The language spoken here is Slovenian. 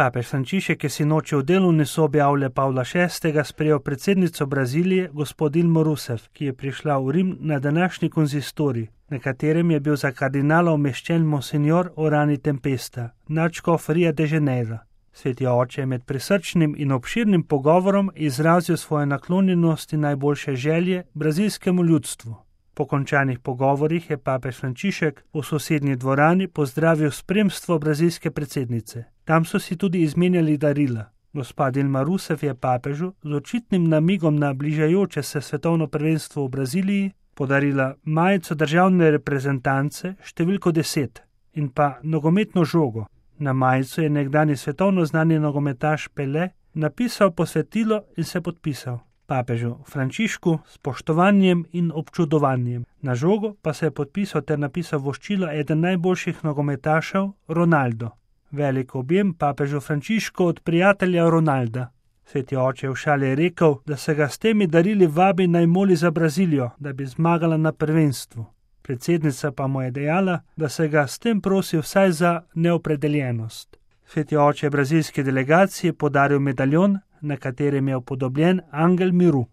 Papež Frančišek je sinoči v delovni sobi avle Pavla VI. Sprejel predsednico Brazilije, gospod Dilmo Rousseff, ki je prišla v Rim na današnji konzistorij, na katerem je bil za kardinala umeščen monsignor Orani Tempesta, nadškof Ria de Janeiro. Sveti oče je med prisrčnim in obširnim pogovorom izrazil svojo naklonjenost in najboljše želje brazilskemu ljudstvu. Po končanih pogovorih je papež Frančišek v sosednji dvorani pozdravil spremstvo brazilske predsednice. Tam so si tudi izmenjali darila. Gospa Dilma Rousseff je papežu z očitnim namigom na bližajoče se svetovno prvenstvo v Braziliji podarila majico državne reprezentance številko 10 in pa nogometno žogo. Na majico je nekdani svetovno znani nogometaš Pelé napisal posvetilo in se podpisal. Papežu Frančišku s spoštovanjem in občudovanjem. Na žogo pa se je podpisal ter napisal voščilo eden najboljših nogometašev, Ronaldo. Velik objem papežu Frančišku od prijatelja Ronalda. Sveti oče v šali rekel, da se ga s temi darili vabi naj moli za Brazilijo, da bi zmagala na prvenstvu. Predsednica pa mu je dejala, da se ga s tem prosi vsaj za neopredeljenost. Sveti oče je brazilski delegaciji podaril medaljon, na katerem je upodobljen angel miru.